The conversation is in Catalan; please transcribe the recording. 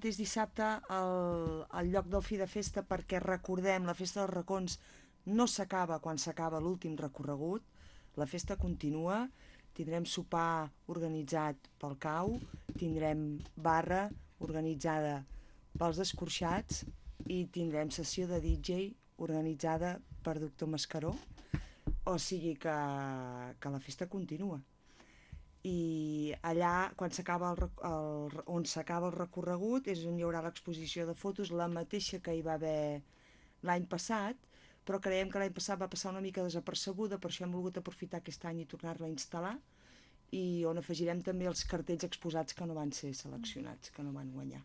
És dissabte al lloc del Fi de Festa perquè recordem, la Festa dels Racons no s'acaba quan s'acaba l'últim recorregut, la festa continua, tindrem sopar organitzat pel CAU, tindrem barra organitzada pels escorxats i tindrem sessió de DJ organitzada per Doctor Mascaró, o sigui que la festa continua. I allà on s'acaba el recorregut és on hi haurà l'exposició de fotos, la mateixa que hi va haver l'any passat, però creiem que l'any passat va passar una mica desapercebuda, per això hem volgut aprofitar aquest any i tornar-la a instal·lar, i on afegirem també els cartells exposats que no van ser seleccionats, que no van guanyar.